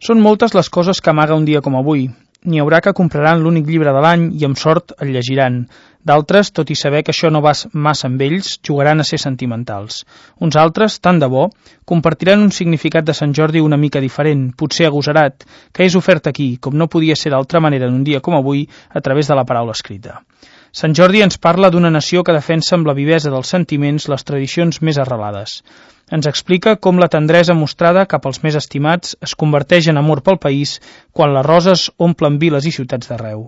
Són moltes les coses que amaga un dia com avui. N'hi haurà que compraran l'únic llibre de l'any i amb sort el llegiran. D'altres, tot i saber que això no va massa amb ells, jugaran a ser sentimentals. Uns altres, tant de bo, compartiran un significat de Sant Jordi una mica diferent, potser agosarat, que és ofert aquí, com no podia ser d'altra manera en un dia com avui, a través de la paraula escrita. Sant Jordi ens parla d'una nació que defensa amb la vivesa dels sentiments les tradicions més arrelades. Ens explica com la tendresa mostrada cap als més estimats es converteix en amor pel país quan les roses omplen viles i ciutats d'arreu.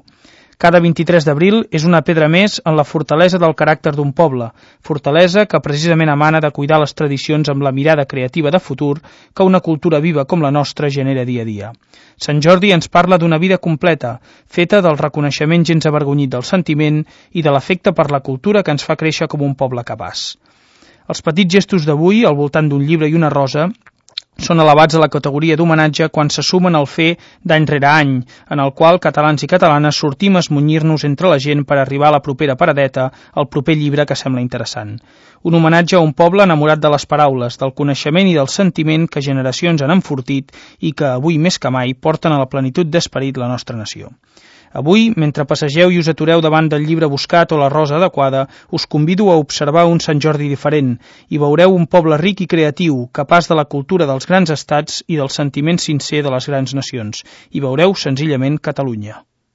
Cada 23 d'abril és una pedra més en la fortalesa del caràcter d'un poble, fortalesa que precisament emana de cuidar les tradicions amb la mirada creativa de futur que una cultura viva com la nostra genera dia a dia. Sant Jordi ens parla d'una vida completa, feta del reconeixement gens avergonyit del sentiment i de l'afecte per la cultura que ens fa créixer com un poble capaç. Els petits gestos d'avui, al voltant d'un llibre i una rosa, són elevats a la categoria d'homenatge quan se sumen al fer d'any rere any, en el qual catalans i catalanes sortim a esmunyir-nos entre la gent per arribar a la propera paradeta, al proper llibre que sembla interessant. Un homenatge a un poble enamorat de les paraules, del coneixement i del sentiment que generacions han enfortit i que avui més que mai porten a la plenitud d'esperit la nostra nació. Avui, mentre passegeu i us atureu davant del llibre buscat o la rosa adequada, us convido a observar un Sant Jordi diferent i veureu un poble ric i creatiu, capaç de la cultura dels grans estats i del sentiment sincer de les grans nacions. I veureu senzillament Catalunya.